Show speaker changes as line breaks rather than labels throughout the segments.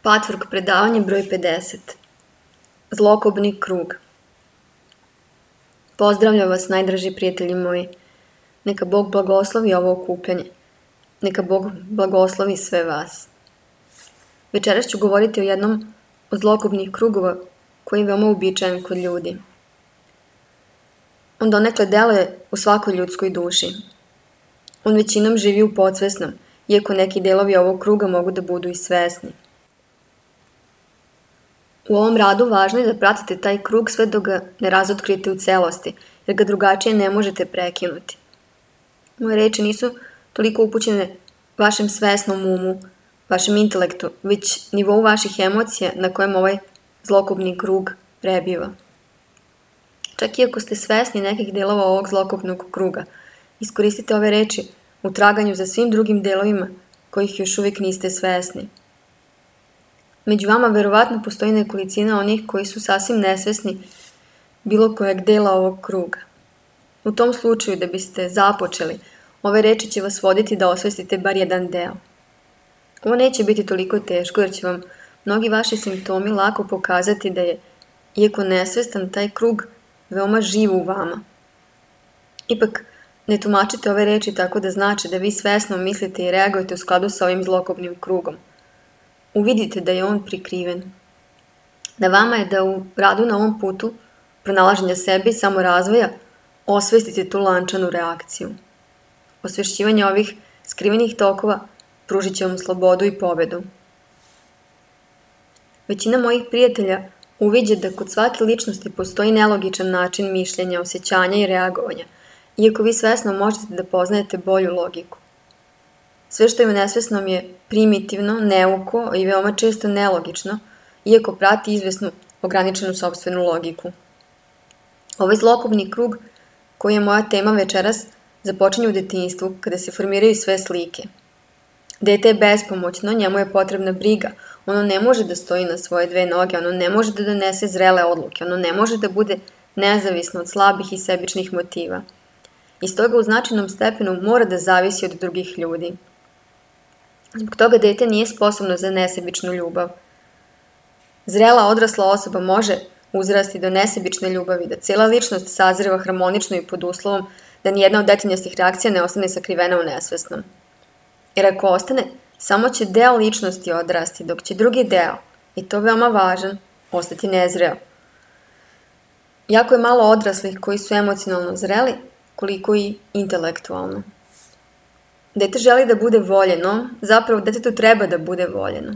Patvork predavanje broj 50. Zlokobni krug. Pozdravljam vas, najdraži prijatelji moji. Neka Bog blagoslovi ovo okupljanje. Neka Bog blagoslovi sve vas. Večeras ću govoriti o jednom od zlokobnih krugova koji je veoma uobičajen kod ljudi. On donekle deluje u svakoj ljudskoj duši. On većinom živi u podsvesnom, iako neki delovi ovog kruga mogu da budu i svesni. U ovom radu važno je da pratite taj krug sve dok ga ne razotkrijete u celosti, jer ga drugačije ne možete prekinuti. Moje reči nisu toliko upućene vašem svesnom umu, vašem intelektu, već nivou vaših emocija na kojem ovaj zlokobni krug prebiva. Čak i ako ste svesni nekih delova ovog zlokobnog kruga, iskoristite ove reči u traganju za svim drugim delovima kojih još uvijek niste svesni. Među vama verovatno postoji nekolicina onih koji su sasvim nesvesni bilo kojeg dela ovog kruga. U tom slučaju, da biste započeli, ove reči će vas voditi da osvestite bar jedan deo. Ovo neće biti toliko teško jer će vam mnogi vaši simptomi lako pokazati da je, iako nesvestan, taj krug veoma živ u vama. Ipak, ne tumačite ove reči tako da znači da vi svesno mislite i reagujete u skladu sa ovim zlokobnim krugom. Uvidite da je on prikriven. Na vama je da u radu na ovom putu pronalaženja sebe i samorazvoja osvestite tu lančanu reakciju. Osvešćivanje ovih skrivenih tokova pružit će vam slobodu i pobedu. Većina mojih prijatelja uviđa da kod svake ličnosti postoji nelogičan način mišljenja, osjećanja i reagovanja, iako vi svesno možete da poznajete bolju logiku. Sve što je u nesvesnom je primitivno, neuko i veoma često nelogično, iako prati izvesnu ograničenu sopstvenu logiku. Ovaj zlokobni krug, koji je moja tema večeras, započinje u detinjstvu, kada se formiraju sve slike. Dete je bespomoćno, njemu je potrebna briga, ono ne može da stoji na svoje dve noge, ono ne može da donese zrele odluke, ono ne može da bude nezavisno od slabih i sebičnih motiva. I stoga u značajnom stepenu mora da zavisi od drugih ljudi. Zbog toga dete nije sposobno za nesebičnu ljubav. Zrela odrasla osoba može uzrasti do nesebične ljubavi, da cijela ličnost sazreva harmonično i pod uslovom da nijedna od detinjastih reakcija ne ostane sakrivena u nesvesnom. Jer ako ostane, samo će deo ličnosti odrasti, dok će drugi deo, i to veoma važan, ostati nezreo. Jako je malo odraslih koji su emocionalno zreli, koliko i intelektualno. Dete želi da bude voljeno, zapravo detetu treba da bude voljeno.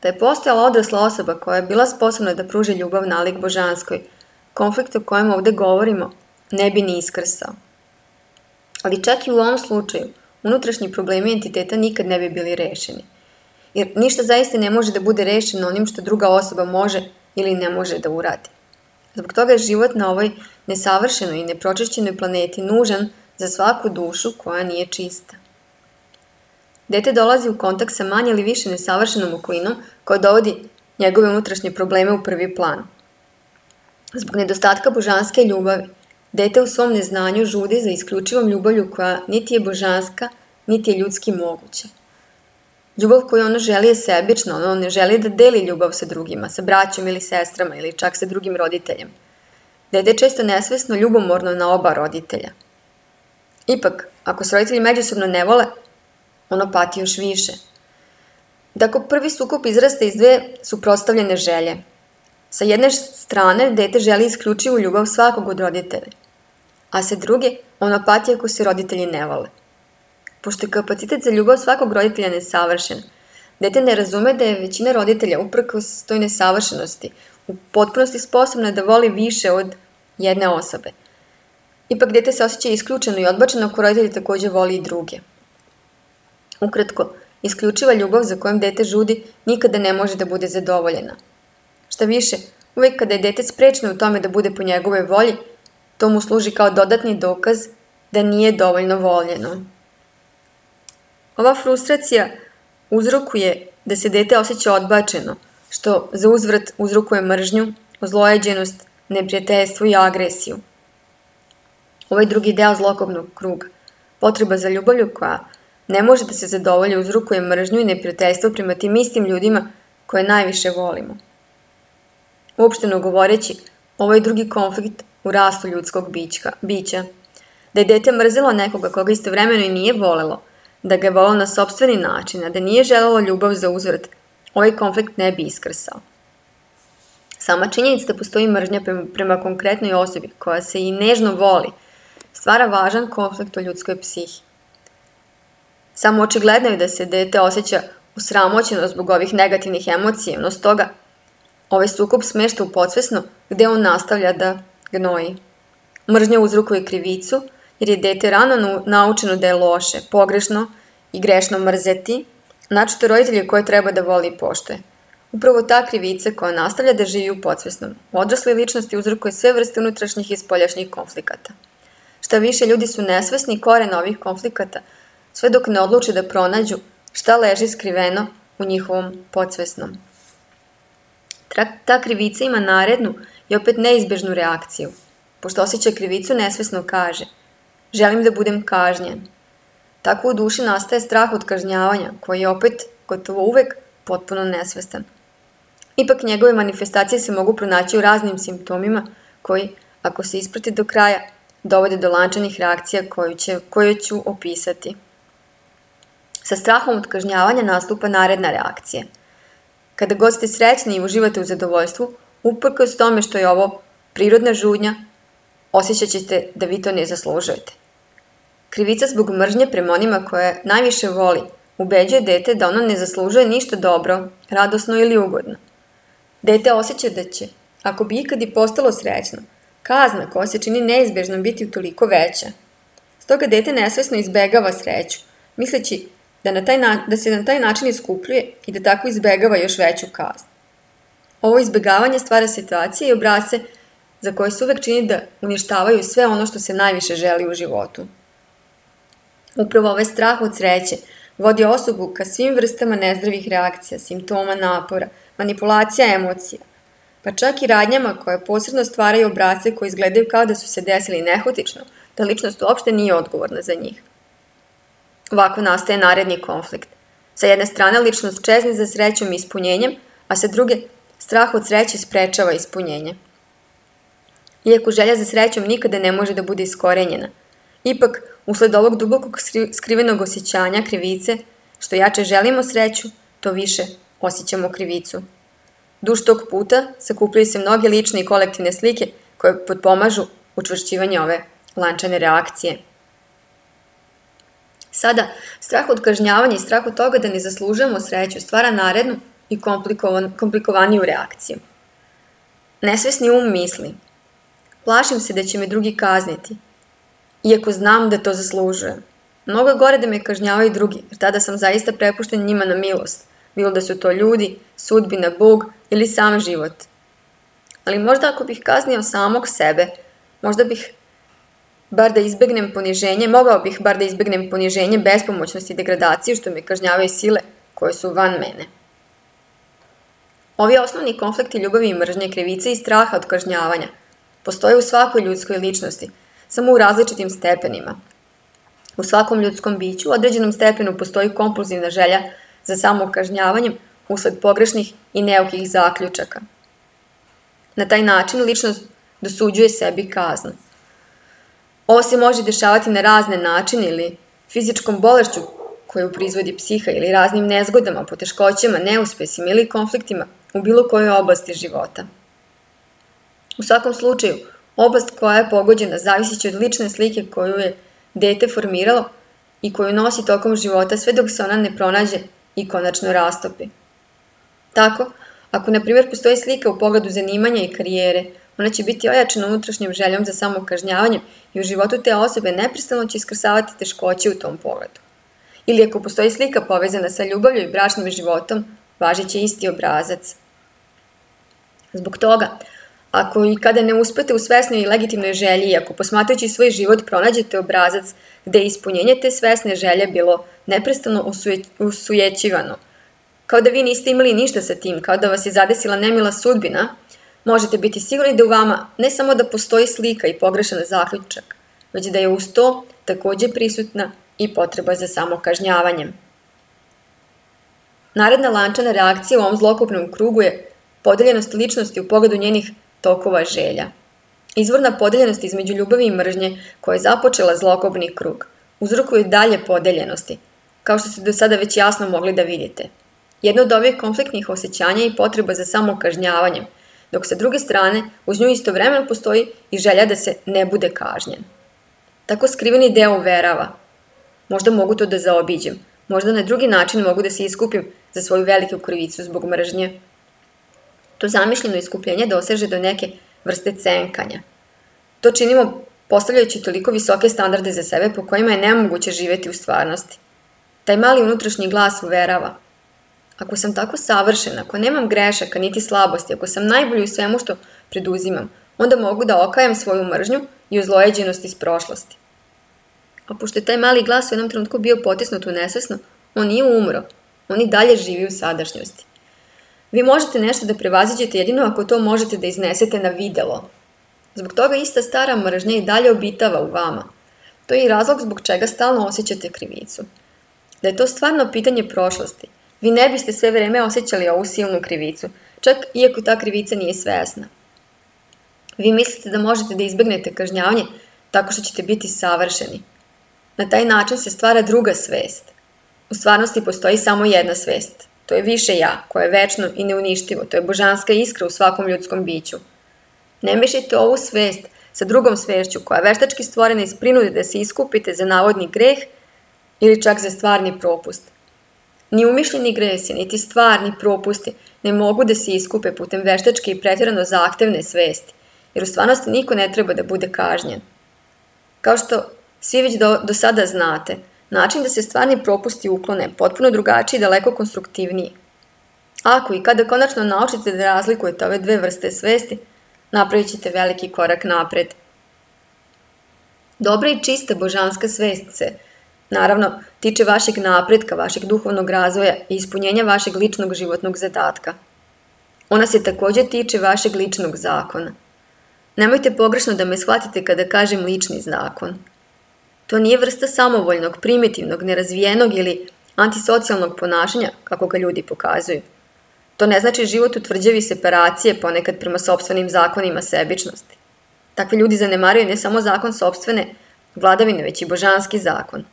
Da je postojala odrasla osoba koja je bila sposobna da pruži ljubav nalik božanskoj, konflikt o kojem ovde govorimo ne bi ni iskrsao. Ali čak i u ovom slučaju, unutrašnji problemi entiteta nikad ne bi bili rešeni. Jer ništa zaista ne može da bude rešeno onim što druga osoba može ili ne može da uradi. Zbog toga je život na ovoj nesavršenoj i nepročišćenoj planeti nužan za svaku dušu koja nije čista. Dete dolazi u kontakt sa manje ili više nesavršenom okolinom koja dovodi njegove unutrašnje probleme u prvi plan. Zbog nedostatka božanske ljubavi, dete u svom neznanju žudi za isključivom ljubavlju koja niti je božanska, niti je ljudski moguća. Ljubav koju ono želi je sebična, ono ne želi da deli ljubav sa drugima, sa braćom ili sestrama ili čak sa drugim roditeljem. Dete je često nesvesno ljubomorno na oba roditelja. Ipak, ako se roditelji međusobno ne vole, ono pati još više. Tako prvi sukob izraste iz dve suprotstavljene želje. Sa jedne strane, dete želi isključivu ljubav svakog od roditelja, a sa druge, ono pati ako se roditelji ne vole. Pošto je kapacitet za ljubav svakog roditelja nesavršen, dete ne razume da je većina roditelja uprkos toj nesavršenosti u potpunosti sposobna da voli više od jedne osobe. Ipak dete se osjeća isključeno i odbačeno ako roditelji također voli i druge. Ukratko, isključiva ljubav za kojom dete žudi nikada ne može da bude zadovoljena. Šta više, uvijek kada je dete sprečeno u tome da bude po njegovoj volji, to mu služi kao dodatni dokaz da nije dovoljno voljeno. Ova frustracija uzrokuje da se dete osjeća odbačeno, što za uzvrat uzrokuje mržnju, ozlojeđenost, neprijateljstvo i agresiju. Ovaj drugi deo zlokobnog kruga, potreba za ljubavlju koja ne može da se zadovolji, uzrokuje mržnju i neprijateljstvo prema tim istim ljudima koje najviše volimo. Uopšteno govoreći, ovo je drugi konflikt u rastu ljudskog bića. Da je dete mrzelo nekoga koga istovremeno i nije volelo, da ga je volelo na sopstveni način, a da nije želelo ljubav za uzvrat, ovaj konflikt ne bi iskrsao. Sama činjenica da postoji mržnja prema konkretnoj osobi koja se i nežno voli, stvara važan konflikt u ljudskoj psihi. Samo očigledno je da se dete osjeća osramoćeno zbog ovih negativnih emocija, no stoga ovaj sukob smešta u podsvesno gde on nastavlja da gnoji. Mržnja uzrokuje krivicu jer je dete rano naučeno da je loše, pogrešno i grešno mrzeti, naročito roditelje koje treba da voli i poštuje. Upravo ta krivica koja nastavlja da živi u podsvesnom, u odrasloj ličnosti uzrokuje sve vrste unutrašnjih i spoljašnjih konflikata. Šta više, ljudi su nesvesni korena ovih konflikata, sve dok ne odluče da pronađu šta leži skriveno u njihovom podsvesnom. Ta krivica ima narednu i opet neizbežnu reakciju. Pošto osjeća krivicu, nesvesno kaže: želim da budem kažnjen. Tako u duši nastaje strah od kažnjavanja, koji je opet, gotovo uvek, potpuno nesvestan. Ipak njegove manifestacije se mogu pronaći u raznim simptomima koji, ako se isprati do kraja, dovode do lančanih reakcija koje ću opisati. Sa strahom od kažnjavanja nastupa naredna reakcija. Kada god ste srećni i uživate u zadovoljstvu, uprkos tome što je ovo prirodna žudnja, osjećat ćete da vi to ne zaslužujete. Krivica zbog mržnje prema onima koje najviše voli ubeđuje dete da ono ne zaslužuje ništa dobro, radosno ili ugodno. Dete osjeća da će, ako bi ikad i postalo srećno, kazna koja se čini neizbežnom biti utoliko veća. Stoga dete nesvesno izbegava sreću, misleći da se na taj način iskupljuje i da tako izbegava još veću kaznu. Ovo izbegavanje stvara situacije i obrasce za koje se uvek čini da uništavaju sve ono što se najviše želi u životu. Upravo ovaj strah od sreće vodi osobu ka svim vrstama nezdravih reakcija, simptoma napora, manipulacija emocija, pa čak i radnjama koje posredno stvaraju obrasce koji izgledaju kao da su se desili nehotično, da ličnost uopšte nije odgovorna za njih. Ovako nastaje naredni konflikt. Sa jedne strane ličnost čezne za srećom i ispunjenjem, a sa druge strah od sreće sprečava ispunjenje. Iako želja za srećom nikada ne može da bude iskorenjena, ipak, usled ovog dubokog skrivenog osjećanja krivice, što jače želimo sreću, to više osjećamo krivicu. Duž tog puta sakupljaju se mnoge lične i kolektivne slike koje potpomažu učvršćivanje ove lančane reakcije. Sada, strah od kažnjavanja i strah od toga da ne zaslužujemo sreću stvara narednu i komplikovaniju reakciju. Nesvesni um misli: plašim se da će me drugi kazniti, iako znam da to zaslužujem. Mnogo je gore da me kažnjavaju drugi, jer tada sam zaista prepušten njima na milost, bilo da su to ljudi, sudbina, Bog ili sam život. Ali možda ako bih kaznio samog sebe, mogao bih bar da izbegnem poniženje, bespomoćnost i degradaciju što me kažnjavaju sile koje su van mene. Ovi osnovni konflikti ljubavi i mržnje, krivice i straha od kažnjavanja postoje u svakoj ljudskoj ličnosti, samo u različitim stepenima. U svakom ljudskom biću u određenom stepenu postoji kompulzivna želja za samokažnjavanjem usled pogrešnih i neukih zaključaka. Na taj način ličnost dosuđuje sebi kaznu. Ovo se može dešavati na razne načine ili fizičkom bolešću koju proizvodi psiha ili raznim nezgodama, poteškoćama, neuspesima ili konfliktima u bilo kojoj oblasti života. U svakom slučaju, oblast koja je pogođena zavisiće od lične slike koju je dete formiralo i koju nosi tokom života sve dok se ona ne pronađe i konačno rastopi. Tako, ako na primjer postoji slika u pogledu zanimanja i karijere, ona će biti ojačana unutrašnjom željom za samokažnjavanjem i u životu te osobe neprestano će iskrsavati teškoće u tom pogledu. Ili ako postoji slika povezana sa ljubavlju i bračnim životom, važit će isti obrazac. Zbog toga, ako i kada ne uspete u svesnoj i legitimnoj želji i ako posmatrajući svoj život pronađete obrazac gde je ispunjenje te svesne želje bilo neprestano usujećivano, kao da vi niste imali ništa sa tim, kao da vas je zadesila nemila sudbina, možete biti sigurni da u vama ne samo da postoji slika i pogrešan zaključak, već da je uz to takođe prisutna i potreba za samokažnjavanjem. Naredna lančana reakcija u ovom zlokobnom krugu je podeljenost ličnosti u pogledu njenih tokova želja. Izvorna podeljenost između ljubavi i mržnje koja je započela zlokobni krug uzrokuje dalje podeljenosti, kao što ste do sada već jasno mogli da vidite. Jedno od ovih konfliktnih osjećanja i potreba za samokažnjavanjem, dok sa druge strane uz nju istovremeno postoji i želja da se ne bude kažnjen. Tako skriveni deo uverava: možda mogu to da zaobiđem, možda na drugi način mogu da se iskupim za svoju veliku krivicu zbog mržnje. To zamišljeno iskupljenje doseže do neke vrste cenkanja. To činimo postavljajući toliko visoke standarde za sebe po kojima je nemoguće živeti u stvarnosti. Taj mali unutrašnji glas uverava: ako sam tako savršen, ako nemam grešaka niti slabosti, ako sam najbolji u svemu što preduzimam, onda mogu da okajem svoju mržnju i ozlojeđenost iz prošlosti. A pošto je taj mali glas u jednom trenutku bio potisnut u nesvesno, on nije umro, on i dalje živi u sadašnjosti. Vi možete nešto da prevaziđete jedino ako to možete da iznesete na videlo. Zbog toga ista stara mržnja i dalje obitava u vama. To je i razlog zbog čega stalno osjećate krivicu. Da je to stvarno pitanje prošlosti, vi ne biste sve vreme osjećali ovu silnu krivicu, čak iako ta krivica nije svesna. Vi mislite da možete da izbegnete kažnjavanje tako što ćete biti savršeni. Na taj način se stvara druga svest. U stvarnosti postoji samo jedna svest. To je više ja, koje je večno i neuništivo. To je božanska iskra u svakom ljudskom biću. Ne mešajte ovu svest sa drugom svešću koja je veštački stvorena iz prinude da se iskupite za navodni greh ili čak za stvarni propust. Ni umišljeni gresi, niti stvarni propusti ne mogu da se iskupe putem veštačke i pretjerano zahtevne svesti, jer u stvarnosti niko ne treba da bude kažnjen. Kao što svi već do sada znate, način da se stvarni propusti uklone potpuno drugačiji i daleko konstruktivniji. Ako i kada konačno naučite da razlikujete ove dve vrste svesti, napravit ćete veliki korak napred. Dobra i čista božanska svest se, naravno, tiče vašeg napretka, vašeg duhovnog razvoja i ispunjenja vašeg ličnog životnog zadatka. Ona se također tiče vašeg ličnog zakona. Nemojte pogrešno da me shvatite kada kažem lični zakon. To nije vrsta samovoljnog, primitivnog, nerazvijenog ili antisocijalnog ponašanja, kako ga ljudi pokazuju. To ne znači život u tvrđavi separacije, ponekad prema sopstvenim zakonima sebičnosti. Takvi ljudi zanemaruju ne samo zakon sopstvene vladavine, već i božanski zakon.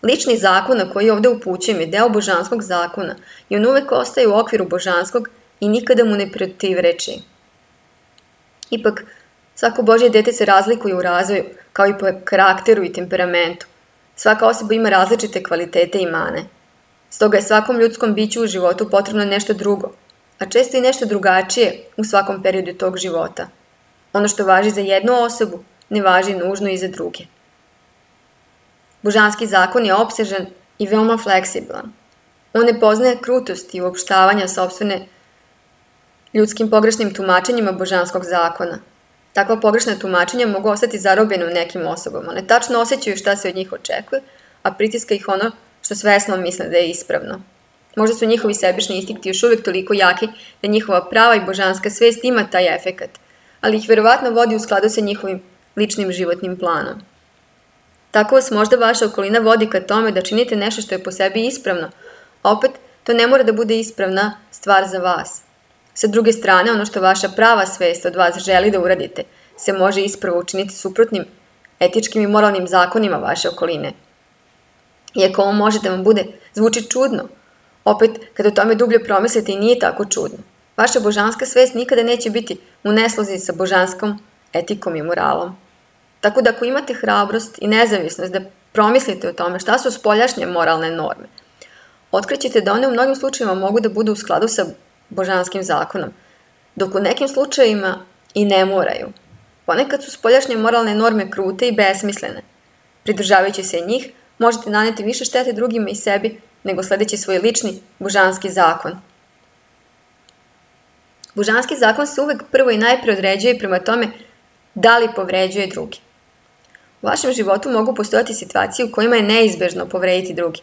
Lični zakon na koji ovdje upućujem je deo božanskog zakona i on uvek ostaje u okviru božanskog i nikada mu ne protivreči. Ipak, svako Božje dete se razlikuje u razvoju, kao i po karakteru i temperamentu. Svaka osoba ima različite kvalitete i mane. Stoga je svakom ljudskom biću u životu potrebno nešto drugo, a često i nešto drugačije u svakom periodu tog života. Ono što važi za jednu osobu, ne važi nužno i za druge. Božanski zakon je opsežan i veoma fleksibilan. On ne poznaje krutost i uopštavanja sopstvene ljudskim pogrešnim tumačenjima božanskog zakona. Takva pogrešna tumačenja mogu ostati zarobljena u nekim osobama. One tačno osjećaju šta se od njih očekuje, a pritiska ih ono što svesno misle da je ispravno. Možda su njihovi sebični instinkti još uvijek toliko jaki da njihova prava i božanska svest ima taj efekat, ali ih verovatno vodi u skladu sa njihovim ličnim životnim planom. Tako vas možda vaša okolina vodi ka tome da činite nešto što je po sebi ispravno, a opet to ne mora da bude ispravna stvar za vas. Sa druge strane, ono što vaša prava svest od vas želi da uradite se može ispravo učiniti suprotnim etičkim i moralnim zakonima vaše okoline. Iako ovo može da vam zvuči čudno, opet kada o tome dublje promislite i nije tako čudno. Vaša božanska svest nikada neće biti u neslozi sa božanskom etikom i moralom. Tako da ako imate hrabrost i nezavisnost da promislite o tome šta su spoljašnje moralne norme, otkrićete da one u mnogim slučajevima mogu da budu u skladu sa božanskim zakonom, dok u nekim slučajevima i ne moraju. Ponekad su spoljašnje moralne norme krute i besmislene. Pridržavajući se njih, možete naneti više štete drugima i sebi nego sledeći svoj lični božanski zakon. Božanski zakon se uvek prvo i najpre određuje prema tome da li povređuje drugi. U vašem životu mogu postojati situacije u kojima je neizbežno povrediti drugi.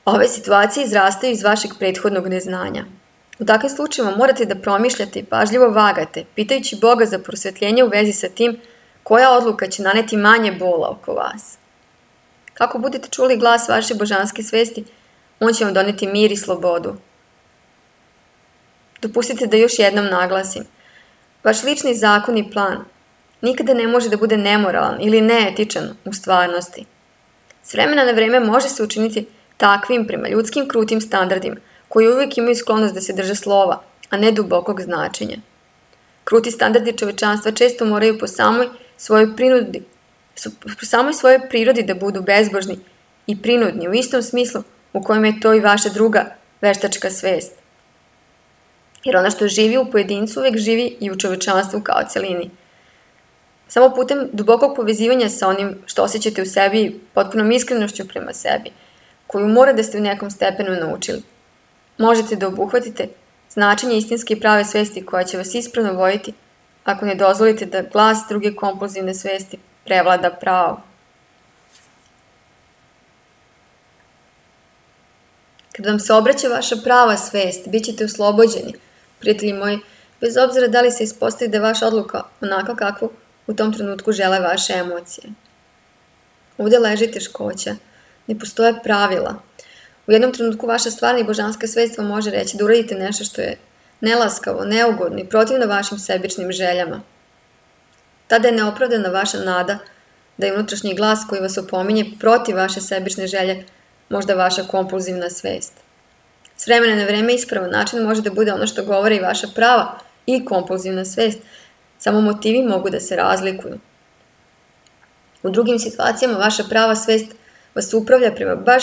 Ove situacije izrastaju iz vašeg prethodnog neznanja. U takvim slučajima morate da promišljate i pažljivo vagate, pitajući Boga za prosvetljenje u vezi sa tim koja odluka će naneti manje bola oko vas. Kako budete čuli glas vaše božanske svesti, On će vam doneti mir i slobodu. Dopustite da još jednom naglasim. Vaš lični zakon i plan nikada ne može da bude nemoralan ili neetičan u stvarnosti. S vremena na vreme može se učiniti takvim prema ljudskim krutim standardima, koji uvijek imaju sklonost da se drže slova, a ne dubokog značenja. Kruti standardi čovečanstva često moraju po samoj svojoj prirodi da budu bezbožni i prinudni u istom smislu u kojem je to i vaša druga veštačka svest. Jer ono što živi u pojedincu uvijek živi i u čovečanstvu kao celini. Samo putem dubokog povezivanja sa onim što osjećate u sebi i potpunom iskrenošću prema sebi, koju mora da ste u nekom stepenu naučili, možete da obuhvatite značenje istinske i prave svesti koja će vas ispravno voditi ako ne dozvolite da glas druge kompulzivne svesti prevlada pravo. Kad vam se obraća vaša prava svest, bit ćete oslobođeni, prijatelji moji, bez obzira da li se ispostavi da je vaša odluka onaka kakvu u tom trenutku žele vaše emocije. Ovdje leži teškoća, ne postoje pravila. U jednom trenutku vaša stvarna i božanska svest vam može reći da uradite nešto što je nelaskavo, neugodno i protivno vašim sebičnim željama. Tada je neopravdana vaša nada da je unutrašnji glas koji vas opominje protiv vaše sebične želje možda vaša kompulzivna svest. S vremena na vreme ispravan način može da bude ono što govore i vaša prava i kompulzivna svest, samo motivi mogu da se razlikuju. U drugim situacijama vaša prava svest vas upravlja prema baš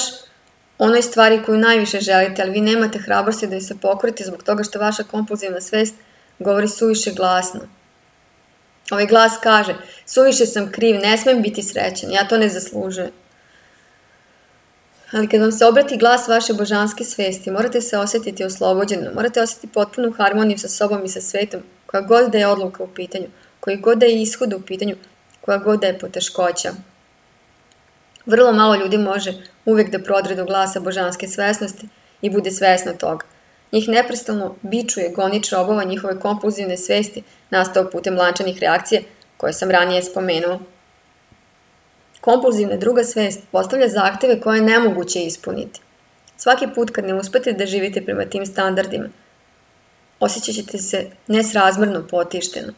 onoj stvari koju najviše želite, ali vi nemate hrabrosti da joj se pokorite zbog toga što vaša kompulzivna svest govori suviše glasno. Ovaj glas kaže, suviše sam kriv, ne smem biti srećan, ja to ne zaslužujem. Ali kad vam se obrati glas vaše božanske svesti, morate se osjetiti oslobođeno, morate osjetiti potpunu harmoniju sa sobom i sa svetom, koja god da je odluka u pitanju, koji god da je ishod u pitanju, koja god da je poteškoća. Vrlo malo ljudi može uvijek da prodre do glasa božanske svesnosti i bude svesno toga. Njih neprestano bičuje gonič robova njihove kompulzivne svesti nastao putem lančanih reakcija koje sam ranije spomenuo. Kompulzivna druga svest postavlja zahteve koje je nemoguće ispuniti. Svaki put kad ne uspete da živite prema tim standardima, osjećat ćete se nesrazmjerno potišteno.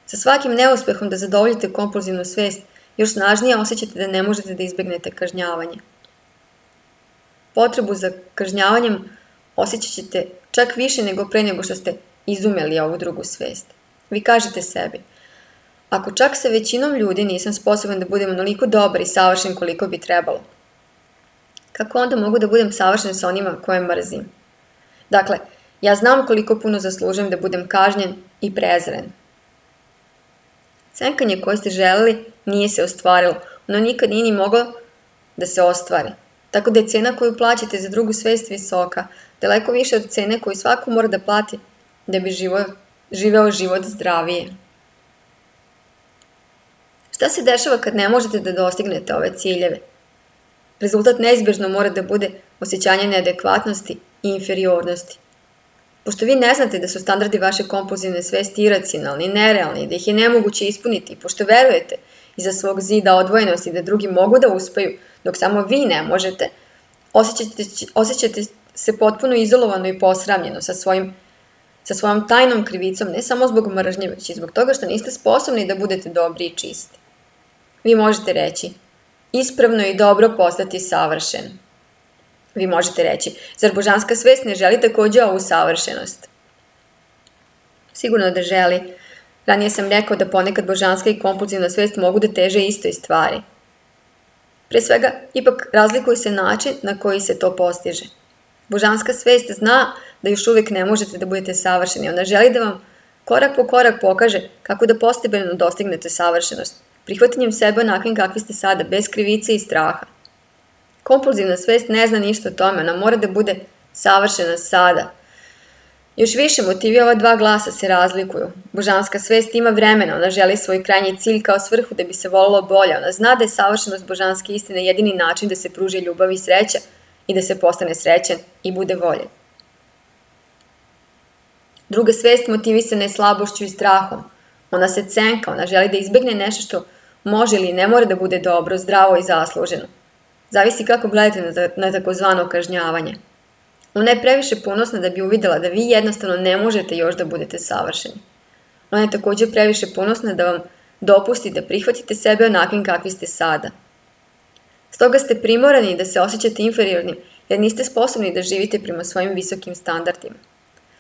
Sa svakim neuspehom da zadovoljite kompulzivnu svest, još snažnije osjećate da ne možete da izbjegnete kažnjavanje. Potrebu za kažnjavanjem osjećat ćete čak više nego pre nego što ste izumeli ovu drugu svest. Vi kažete sebi, ako čak sa većinom ljudi nisam sposoban da budem onoliko dobar i savršen koliko bi trebalo, kako onda mogu da budem savršen sa onima koje mrzim? Dakle, ja znam koliko puno zaslužujem da budem kažnjen i prezren. Cenkanje koje ste želeli nije se ostvarilo, ono nikad nije ni moglo da se ostvari. Tako da je cena koju plaćate za drugu svest visoka, daleko više od cene koju svako mora da plati da bi živeo život zdravije. Šta se dešava kad ne možete da dostignete ove ciljeve? Rezultat neizbježno mora da bude osjećanje neadekvatnosti i inferiornosti. Pošto vi ne znate da su standardi vaše kompulzivne svesti iracionalni, nerealni, da ih je nemoguće ispuniti, pošto verujete iza svog zida odvojenosti da drugi mogu da uspeju, dok samo vi ne možete, osjećate se potpuno izolovano i posramljeno sa svojom tajnom krivicom, ne samo zbog mržnje, već i zbog toga što niste sposobni da budete dobri i čisti. Vi možete reći, ispravno i dobro postati savršen. Vi možete reći, zar božanska svest ne želi također ovu savršenost? Sigurno da želi. Ranije sam rekao da ponekad božanska i kompulzivna svest mogu da teže istoj stvari. Pre svega, ipak razlikuje se način na koji se to postiže. Božanska svest zna da još uvijek ne možete da budete savršeni. Ona želi da vam korak po korak pokaže kako da postepeno dostignete savršenost, prihvatanjem sebe onakvim kakvi ste sada, bez krivice i straha. Kompulzivna svest ne zna ništa o tome, ona mora da bude savršena sada. Još više motivi ova dva glasa se razlikuju. Božanska svest ima vremena, ona želi svoj krajnji cilj kao svrhu da bi se volilo bolje. Ona zna da je savršenost božanske istine jedini način da se pruži ljubav i sreća i da se postane srećan i bude voljen. Druga svest motivisana je slabošću i strahom. Ona se cenka, ona želi da izbjegne nešto što može ili ne mora da bude dobro, zdravo i zasluženo. Zavisi kako gledate na takozvano kažnjavanje. Ona je previše ponosna da bi uvidela da vi jednostavno ne možete još da budete savršeni. Ona je također previše ponosna da vam dopusti da prihvatite sebe onakvim kakvi ste sada. Stoga ste primorani da se osjećate inferiornim jer niste sposobni da živite prema svojim visokim standardima.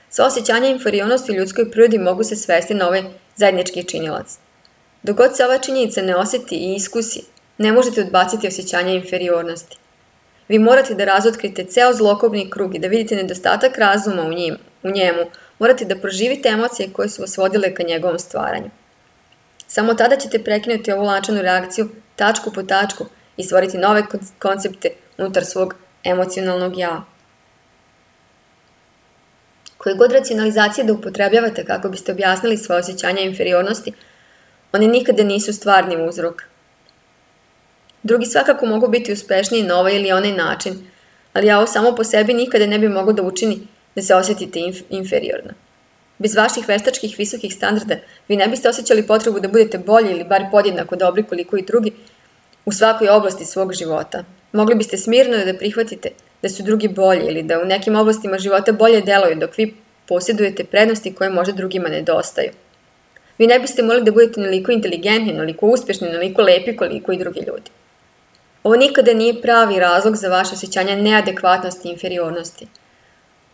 Sva osjećanja inferiornosti u ljudskoj prirodi mogu se svesti na ovaj zajednički činilac. Dok god se ova činjenica ne osjeti i iskusi, ne možete odbaciti osjećanja inferiornosti. Vi morate da razotkrite ceo zlokobni krug i da vidite nedostatak razuma u njemu. Morate da proživite emocije koje su vas vodile ka njegovom stvaranju. Samo tada ćete prekinuti ovu lančanu reakciju tačku po tačku i stvoriti nove koncepte unutar svog emocionalnog ja. Koje god racionalizacije da upotrebljavate kako biste objasnili svoje osjećanja inferiornosti, one nikada nisu stvarni uzrok. Drugi svakako mogu biti uspešniji na ovaj ili onaj način, ali ovo samo po sebi nikada ne bi moglo da učini da se osjetite inferiorno. Bez vaših veštačkih visokih standarda vi ne biste osjećali potrebu da budete bolji ili bar podjednako dobri koliko i drugi u svakoj oblasti svog života. Mogli biste smirno da prihvatite da su drugi bolji ili da u nekim oblastima života bolje deluju dok vi posjedujete prednosti koje možda drugima nedostaju. Vi ne biste morali da budete naliko inteligentni, naliko uspješni, naliko lepi koliko i drugi ljudi. Ovo nikada nije pravi razlog za vaše osjećanje neadekvatnosti i inferiornosti.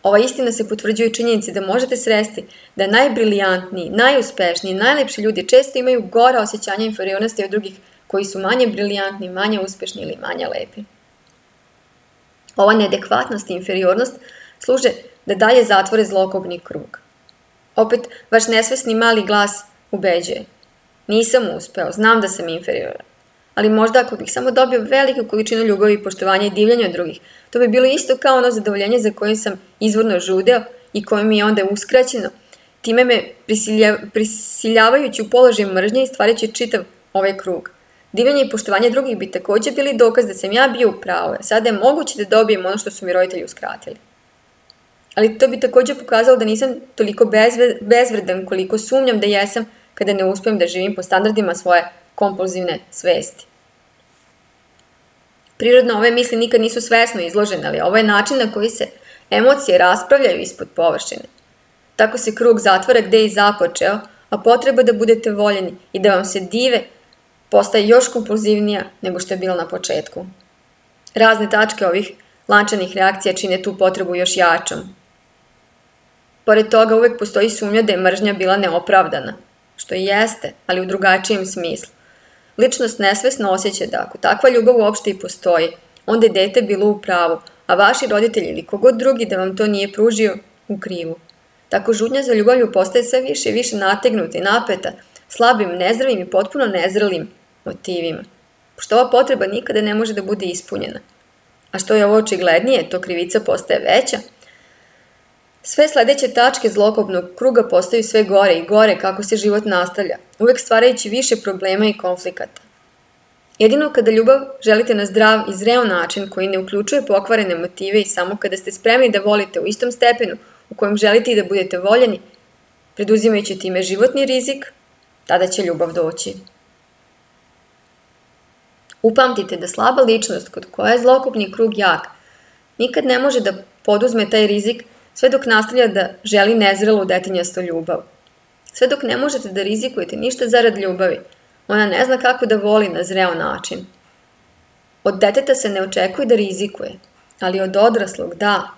Ova istina se potvrđuje činjenici da možete sresti da najbrilijantniji, najuspešniji, najlepši ljudi često imaju gora osjećanja inferiornosti od drugih koji su manje brilijantni, manje uspješni ili manje lepi. Ova neadekvatnost i inferiornost služe da dalje zatvore zlokobni krug. Opet, vaš nesvesni mali glas ubeđuje. Nisam uspeo, znam da sam inferioran. Ali možda ako bih samo dobio veliku količinu ljubavi, poštovanja i divljenja od drugih, to bi bilo isto kao ono zadovoljenje za kojim sam izvorno žudeo i koje mi je onda uskraćeno, time me prisiljavajući u položaj mržnje i stvarajući čitav ovaj krug. Divljenje i poštovanje drugih bi također bili dokaz da sam ja bio u pravu, a sada je moguće da dobijem ono što su mi roditelji uskratili. Ali to bi također pokazalo da nisam toliko bezvredan koliko sumnjam da jesam kada ne uspijem da živim po standardima svoje kompulzivne svesti. Prirodno ove misli nikad nisu svesno izložene, ali ovo je način na koji se emocije raspravljaju ispod površine. Tako se krug zatvara gde je i započeo, a potreba da budete voljeni i da vam se dive postaje još kompulzivnija nego što je bilo na početku. Razne tačke ovih lančanih reakcija čine tu potrebu još jačom. Pored toga uvek postoji sumnja da je mržnja bila neopravdana, što i jeste, ali u drugačijem smislu. Ličnost nesvesno osjeća da ako takva ljubav uopšte i postoji, onda je dete bilo u pravu, a vaši roditelji ili kogod drugi da vam to nije pružio u krivu. Tako žudnja za ljubavlju postaje sve više i više nategnuta i napeta, slabim, nezdravim i potpuno nezrelim motivima. Pošto ova potreba nikada ne može da bude ispunjena. A što je ovo očiglednije, to krivica postaje veća. Sve sledeće tačke zlokobnog kruga postaju sve gore i gore kako se život nastavlja, uvek stvarajući više problema i konflikata. Jedino kada ljubav želite na zdrav i zreo način koji ne uključuje pokvarene motive i samo kada ste spremni da volite u istom stepenu u kojem želite i da budete voljeni, preduzimajući time životni rizik, tada će ljubav doći. Upamtite da slaba ličnost kod koja je zlokobni krug jak, nikad ne može da poduzme taj rizik sve dok nastavlja da želi nezrelu detinjastu ljubav. Sve dok ne možete da rizikujete ništa zarad ljubavi, ona ne zna kako da voli na zreo način. Od deteta se ne očekuje da rizikuje, ali od odraslog da.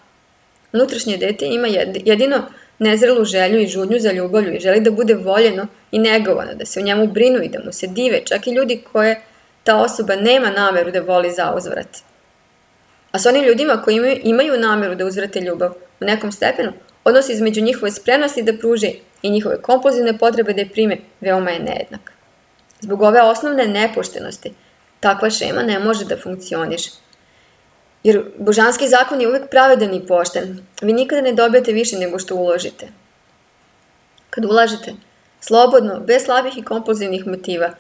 Unutrašnje dete ima jedino nezrelu želju i žudnju za ljubavlju i želi da bude voljeno i negovano, da se o njemu brinu i da mu se dive, čak i ljudi koje ta osoba nema nameru da voli za uzvrat. A s onim ljudima koji imaju nameru da uzvrate ljubav u nekom stepenu, odnos između njihove spremnosti da pruže i njihove kompulzivne potrebe da je prime veoma je nejednak. Zbog ove osnovne nepoštenosti, takva šema ne može da funkcioniše. Jer božanski zakon je uvek pravedan i pošten. Vi nikada ne dobijate više nego što uložite. Kad ulažete, slobodno, bez slabih i kompulzivnih motiva,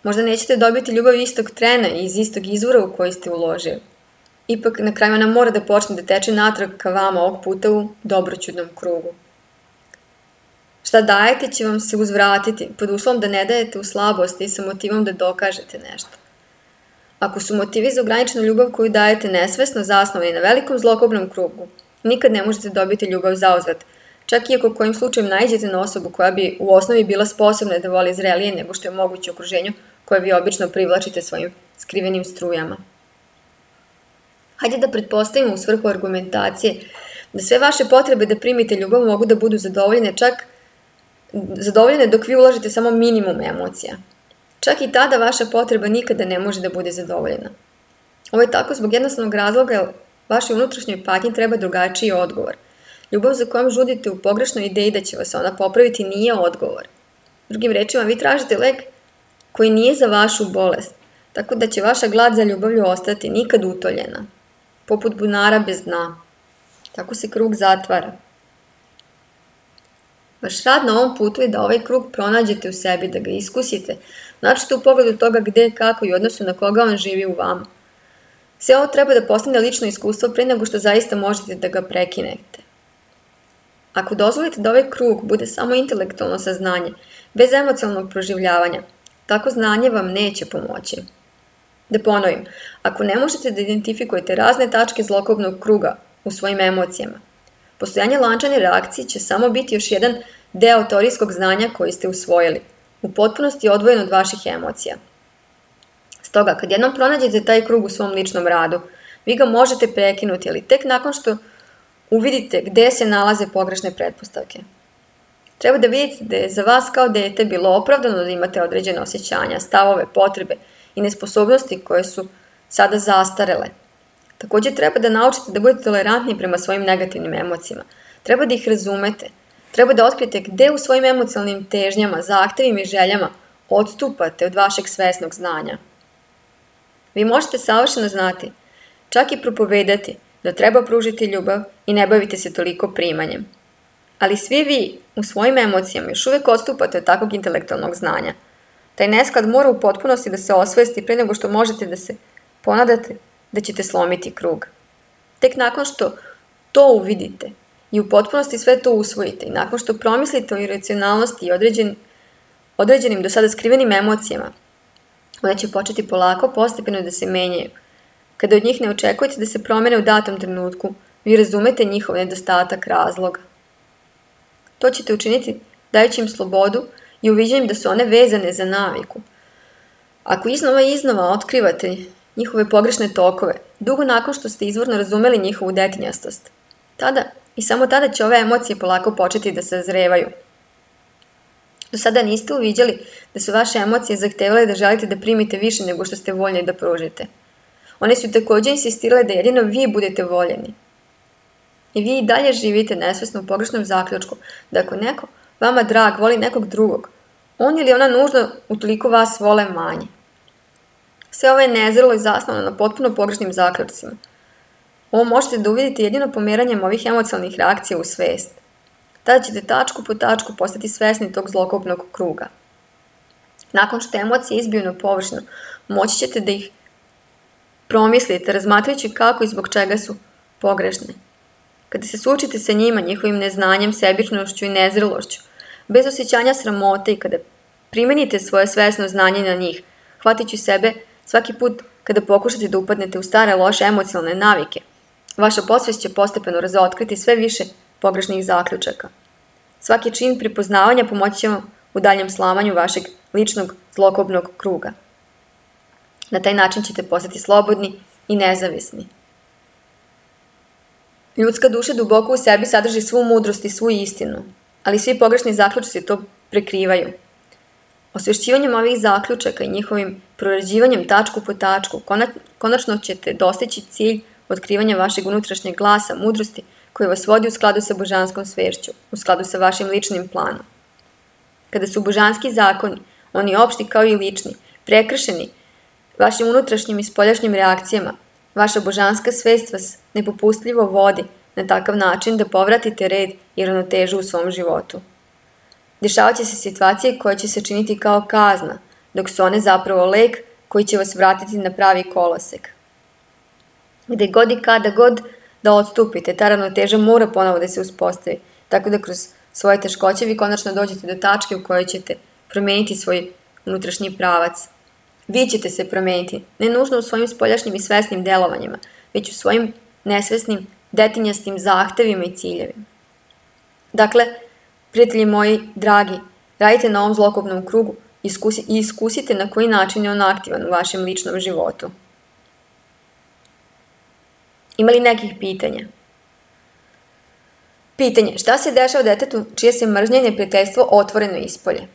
možda nećete dobiti ljubav istog trena i iz istog izvora u koji ste uložili. Ipak na kraju ona mora da počne da teče natrag ka vama ovog puta u dobroćudnom krugu. Šta dajete će vam se uzvratiti, pod uslovom da ne dajete u slabosti i sa motivom da dokažete nešto. Ako su motivi za ograničenu ljubav koju dajete nesvesno zasnovani na velikom zlokobnom krugu, nikad ne možete dobiti ljubav zauzvrat, čak i ako kojim slučajem naiđete na osobu koja bi u osnovi bila sposobna da voli zrelije nego što je moguće u okruženju koje vi obično privlačite svojim skrivenim strujama. Hajde da pretpostavimo u svrhu argumentacije da sve vaše potrebe da primite ljubav mogu da budu zadovoljene dok vi ulažete samo minimum emocija. Čak i tada vaša potreba nikada ne može da bude zadovoljena. Ovo je tako zbog jednostavnog razloga jer vašoj unutrašnjoj patnji treba drugačiji odgovor. Ljubav za kojom žudite u pogrešnoj ideji da će vas ona popraviti nije odgovor. Drugim rečima, vi tražite lek koji nije za vašu bolest, tako da će vaša glad za ljubavlju ostati nikad utoljena, poput bunara bez dna. Tako se krug zatvara. Vaš rad na ovom putu je da ovaj krug pronađete u sebi, da ga iskusite, načete u pogledu toga gde, kako i odnosu na koga on živi u vama. Sve ovo treba da postane lično iskustvo pre nego što zaista možete da ga prekinete. Ako dozvolite da ovaj krug bude samo intelektualno saznanje, bez emocionalnog proživljavanja, tako znanje vam neće pomoći. Da ponovim, ako ne možete da identifikujete razne tačke zlokobnog kruga u svojim emocijama, postojanje lančane reakcije će samo biti još jedan deo teorijskog znanja koji ste usvojili, u potpunosti odvojen od vaših emocija. Stoga, kad jednom pronađete taj krug u svom ličnom radu, vi ga možete prekinuti, ali tek nakon što uvidite gde se nalaze pogrešne pretpostavke. Treba da vidite da je za vas kao dete bilo opravdano da imate određene osjećanja, stavove, potrebe i nesposobnosti koje su sada zastarele. Takođe treba da naučite da budete tolerantni prema svojim negativnim emocijama. Treba da ih razumete. Treba da otkrijete gde u svojim emocionalnim težnjama, zahtevima i željama odstupate od vašeg svesnog znanja. Vi možete savršeno znati, čak i propovedati, da treba pružiti ljubav i ne bavite se toliko primanjem. Ali svi vi u svojim emocijama još uvek odstupate od takvog intelektualnog znanja. Taj nesklad mora u potpunosti da se osvesti pre nego što možete da se ponadate da ćete slomiti krug. Tek nakon što to uvidite i u potpunosti sve to usvojite i nakon što promislite o iracionalnosti i određenim do sada skrivenim emocijama, one će početi polako, postepeno da se menjaju. Kada od njih ne očekujete da se promene u datom trenutku, vi razumete njihov nedostatak razloga. To ćete učiniti dajući im slobodu i uviđanjem da su one vezane za naviku. Ako iznova i iznova otkrivate njihove pogrešne tokove, dugo nakon što ste izvorno razumeli njihovu detinjastost, tada i samo tada će ove emocije polako početi da se zrevaju. Do sada niste uviđali da su vaše emocije zahtevale da želite da primite više nego što ste voljni da pružite. One su takođe insistirale da jedino vi budete voljeni. I vi i dalje živite nesvesno u pogrešnom zaključku da ako neko, vama drag, voli nekog drugog, on ili ona nužno utoliko vas vole manje. Sve ovo je nezrelo i zasnovano na potpuno pogrešnim zaključcima. Ovo možete da uvidite jedino pomeranjem ovih emocionalnih reakcija u svest. Tada ćete tačku po tačku postati svesni tog zlokobnog kruga. Nakon što emocije izbiju na površinu, moći ćete da ih promislite, razmatrajući kako i zbog čega su pogrešne. Kada se suočite sa njima, njihovim neznanjem, sebičnošću i nezrelošću, bez osjećanja sramote i kada primenite svoje svesno znanje na njih, hvatiću sebe svaki put kada pokušate da upadnete u stare loše emocionalne navike, vaša podsvest će postepeno razotkriti sve više pogrešnih zaključaka. Svaki čin prepoznavanja pomoći će vam u daljem slamanju vašeg ličnog zlokobnog kruga. Na taj način ćete postati slobodni i nezavisni. Ljudska duša duboko u sebi sadrži svu mudrost i svu istinu, ali svi pogrešni zaključci to prekrivaju. Osvešćivanjem ovih zaključaka i njihovim prorađivanjem tačku po tačku, konačno ćete dostići cilj otkrivanja vašeg unutrašnjeg glasa, mudrosti, koji vas vodi u skladu sa božanskom svešću, u skladu sa vašim ličnim planom. Kada su božanski zakoni, oni opšti kao i lični, prekršeni vašim unutrašnjim i spoljašnjim reakcijama, vaša božanska svest vas nepopustljivo vodi na takav način da povratite red i ravnotežu u svom životu. Dešavat će se situacije koje će se činiti kao kazna, dok su one zapravo lek koji će vas vratiti na pravi kolosek. Gde god i kada god da odstupite, ta ravnoteža mora ponovo da se uspostavi, tako da kroz svoje teškoće vi konačno dođete do tačke u kojoj ćete promeniti svoj unutrašnji pravac. Vi ćete se promeniti, ne nužno u svojim spoljašnjim i svesnim delovanjima, već u svojim nesvesnim, detinjastim zahtevima i ciljevima. Dakle, prijatelji moji, dragi, radite na ovom zlokobnom krugu i iskusite na koji način je on aktivan u vašem ličnom životu. Ima li nekih pitanja? Pitanje, šta se dešava detetu čije se mržnje i neprijateljstvo otvoreno ispolje?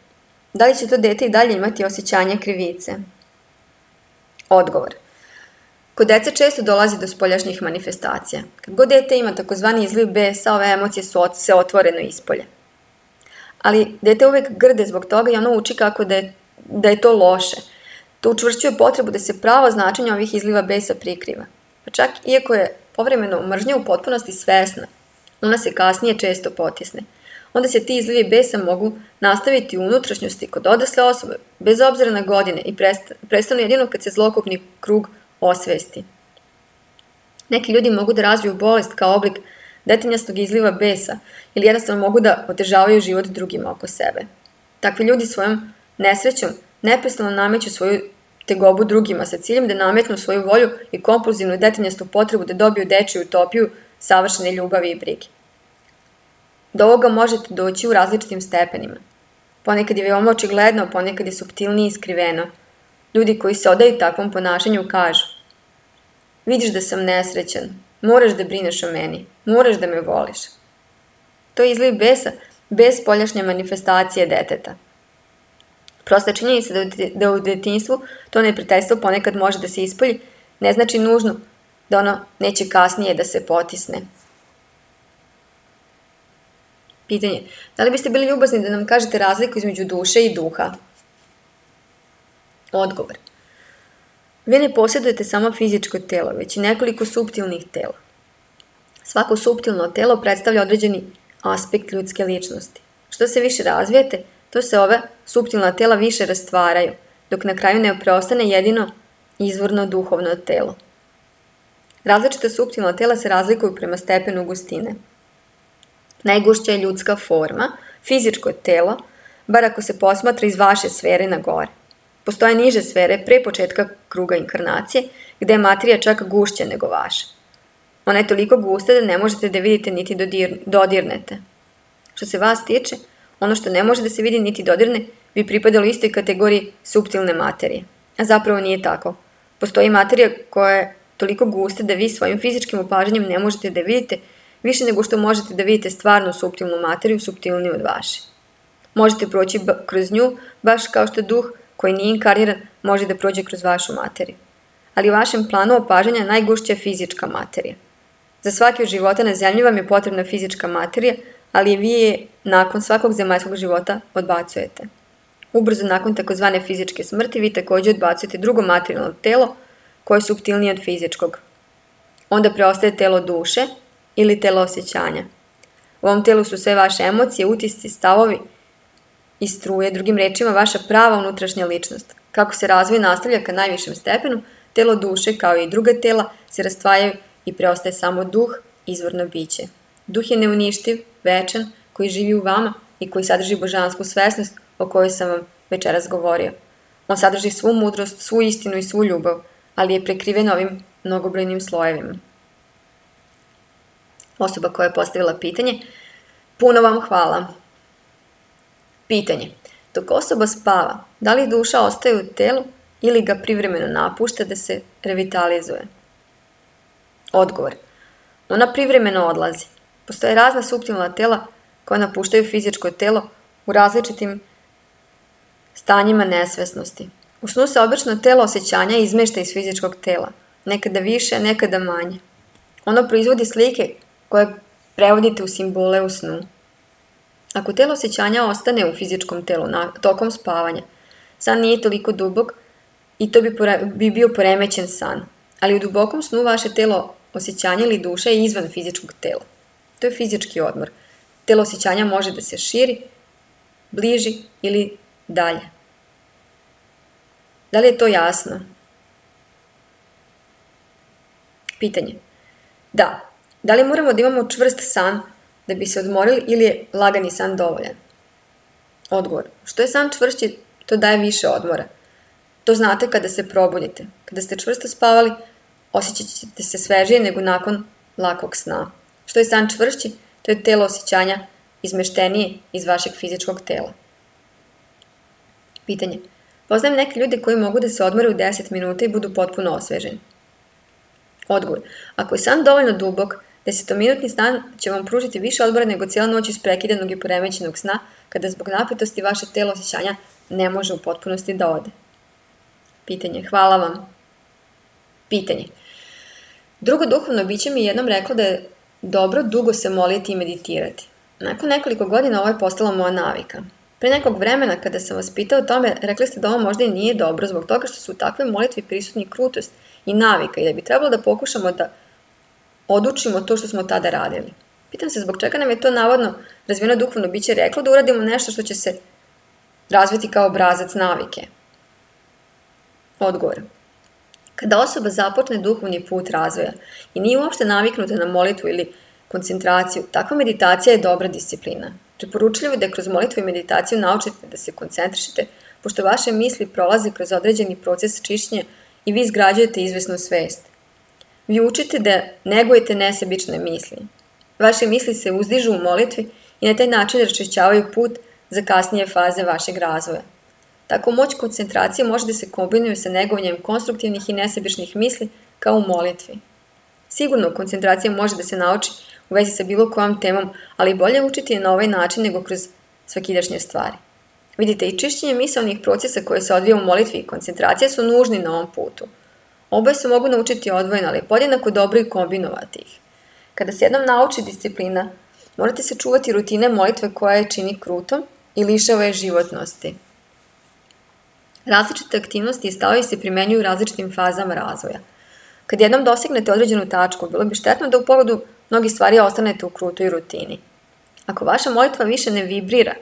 Da li će to dete i dalje imati osjećanje krivice? Odgovor. Kod dece često dolazi do spoljašnjih manifestacija. Kad god dete ima takozvani izliv besa, ove emocije se otvoreno ispolje. Ali dete uvek grde zbog toga i ono uči kako da je to loše. To učvršćuje potrebu da se pravo značenje ovih izliva besa prikriva. Pa čak iako je povremeno mržnja u potpunosti svesna, ona se kasnije često potisne. Onda se ti izlivi besa mogu nastaviti u unutrašnjosti kod odrasle osobe, bez obzira na godine i prestanu jedino kad se zlokobni krug osvesti. Neki ljudi mogu da razviju bolest kao oblik detinjastog izliva besa ili jednostavno mogu da otežavaju život drugima oko sebe. Takvi ljudi svojom nesrećom neprestano nameću svoju tegobu drugima sa ciljem da nametnu svoju volju i kompulzivnu detinjastu potrebu da dobiju dečiju utopiju savršene ljubavi i brige. Do ovoga možete doći u različitim stepenima. Ponekad je veoma očigledno, ponekad je suptilnije i skriveno. Ljudi koji se odaju takvom ponašanju kažu: vidiš da sam nesrećan, moraš da brineš o meni, moraš da me voliš. To je izliv besa bez spoljašnje manifestacije deteta. Prosta činjenica da u detinjstvu to neprijateljstvo ponekad može da se ispolji, ne znači nužno da ono neće kasnije da se potisne. Pitanje, da li biste bili ljubazni da nam kažete razliku između duše i duha? Odgovor. Vi ne posjedujete samo fizičko telo, već i nekoliko suptilnih tela. Svako suptilno telo predstavlja određeni aspekt ljudske ličnosti. Što se više razvijete, to se ove suptilna tela više rastvaraju, dok na kraju ne preostane jedino izvorno duhovno telo. Različita suptilna tela se razlikuju prema stepenu gustine. Najgušća je ljudska forma, fizičko telo, bar ako se posmatra iz vaše sfere na gore. Postoje niže sfere pre početka kruga inkarnacije, gde je materija čak gušća nego vaša. Ona je toliko gusta da ne možete da vidite niti dodirnete. Što se vas tiče, ono što ne može da se vidi niti dodirne bi pripadalo istoj kategoriji suptilne materije. A zapravo nije tako. Postoji materija koja je toliko gusta da vi svojim fizičkim opažanjem ne možete da vidite više nego što možete da vidite stvarnu suptilnu materiju, suptilniju od vaše. Možete proći kroz nju baš kao što duh koji nije inkarniran može da prođe kroz vašu materiju. Ali u vašem planu opažanja najgušća je fizička materija. Za svaki od života na zemlji vam je potrebna fizička materija, ali vi je nakon svakog zemaljskog života odbacujete. Ubrzo nakon takozvane fizičke smrti vi također odbacujete drugo materijalno telo koje je suptilnije od fizičkog. Onda preostaje telo duše ili telo osjećanja. U ovom telu su sve vaše emocije, utisci, stavovi i struje, drugim rečima vaša prava unutrašnja ličnost. Kako se razvoj nastavlja ka najvišem stepenu, telo duše kao i druga tela se rastvajaju i preostaje samo duh, izvorno biće. Duh je neuništiv, večan, koji živi u vama i koji sadrži božansku svesnost o kojoj sam vam večeras govorio. On sadrži svu mudrost, svu istinu i svu ljubav, ali je prekriven ovim mnogobrojnim slojevima. Osoba koja je postavila pitanje: puno vam hvala. Pitanje: dok osoba spava, da li duša ostaje u telu ili ga privremeno napušta da se revitalizuje? Odgovor: ona privremeno odlazi. Postoje razna suptilna tela koja napuštaju fizičko telo u različitim stanjima nesvesnosti. U snu se obično telo osjećanja izmešta iz fizičkog tela, nekada više, nekada manje. Ono proizvodi slike koje prevodite u simbole u snu. Ako telo osjećanja ostane u fizičkom telu tokom spavanja, san nije toliko dubok i to bi bio poremećen san, ali u dubokom snu vaše telo osjećanja ili duša je izvan fizičkog tela. To je fizički odmor. Telo osjećanja može da se širi, bliži ili dalje. Da li je to jasno? Pitanje: da. Da li moramo da imamo čvrst san da bi se odmorili ili je lagani san dovoljan? Odgovor: što je san čvršći, to daje više odmora. To znate kada se probudite. Kada ste čvrsto spavali, osjećat ćete se svežije nego nakon lakog sna. Što je san čvršći, to je telo osjećanja izmeštenije iz vašeg fizičkog tela. Pitanje. Poznajem neke ljude koji mogu da se odmore u 10 minuta i budu potpuno osveženi. Odgovor. Ako je san dovoljno dubok, 10-minutni san će vam pružiti više odmora nego cijela noć isprekidanog i poremećenog sna, kada zbog napetosti vaše telo osjećanja ne može u potpunosti da ode. Pitanje. Hvala vam. Pitanje. Drugo duhovno biće mi jednom reklo da je dobro dugo se moliti i meditirati. Nakon nekoliko godina ovo je postala moja navika. Pre nekog vremena kada sam vas pitao o tome, rekli ste da ovo možda i nije dobro zbog toga što su u takvoj molitvi prisutni krutost i navika i da bi trebalo da pokušamo da odučimo to što smo tada radili. Pitam se zbog čega nam je to navodno razvijeno duhovno biće reklo da uradimo nešto što će se razviti kao obrazac navike. Odgovor. Kada osoba započne duhovni put razvoja i nije uopšte naviknuta na molitvu ili koncentraciju, takva meditacija je dobra disciplina. Preporučljivo je da kroz molitvu i meditaciju naučite da se koncentrišete, pošto vaše misli prolaze kroz određeni proces čišćenja i vi izgrađujete izvesnu svest. Vi učite da negujete nesebične misli. Vaše misli se uzdižu u molitvi i na taj način raščišćavaju put za kasnije faze vašeg razvoja. Tako moć koncentracije može da se kombinuje sa negovanjem konstruktivnih i nesebičnih misli kao u molitvi. Sigurno, koncentracija može da se nauči u vezi sa bilo kojom temom, ali bolje učiti je na ovaj način nego kroz svakidašnje stvari. Vidite, i čišćenje misaonih procesa koje se odvija u molitvi i koncentracija su nužni na ovom putu. Oboje se mogu naučiti odvojeno, ali podjednako dobro i kombinovati ih. Kada se jednom nauči disciplina, morate se čuvati rutine molitve koja je čini krutom i lišava je životnosti. Različite aktivnosti i stavovi se primenjuju u različitim fazama razvoja. Kad jednom dosegnete određenu tačku, bilo bi štetno da u pogledu mnogih stvari ostanete u krutoj rutini. Ako vaša molitva više ne vibrira,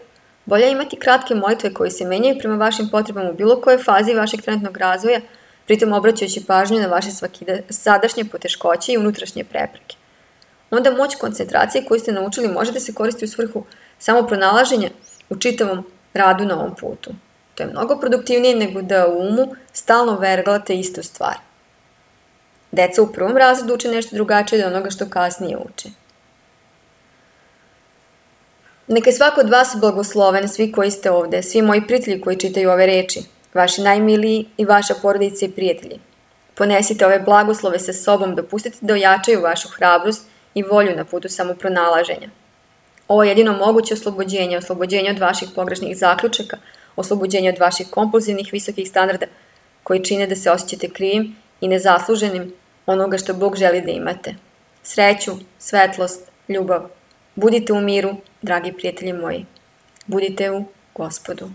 bolje je imati kratke molitve koje se menjaju prema vašim potrebama u bilo kojoj fazi vašeg trenutnog razvoja, pritom obraćajući pažnju na vaše sadašnje poteškoće i unutrašnje prepreke. Onda moć koncentracije koju ste naučili može da se koristi u svrhu samopronalaženja u čitavom radu na ovom putu. To je mnogo produktivnije nego da u umu stalno verglate istu stvar. Deca u prvom razredu uče nešto drugačije od onoga što kasnije uče. Neka je svako od vas blagosloven, svi koji ste ovde, svi moji prijatelji koji čitaju ove reči, vaši najmiliji i vaša porodica i prijatelji. Ponesite ove blagoslove sa sobom, dopustite da ojačaju vašu hrabrost i volju na putu samopronalaženja. Ovo je jedino moguće oslobođenje od vaših pogrešnih zaključaka, oslobođenje od vaših kompulzivnih visokih standarda koji čine da se osjećate krivim i nezasluženim onoga što Bog želi da imate. Sreću, svetlost, ljubav. Budite u miru, dragi prijatelji moji. Budite u Gospodu.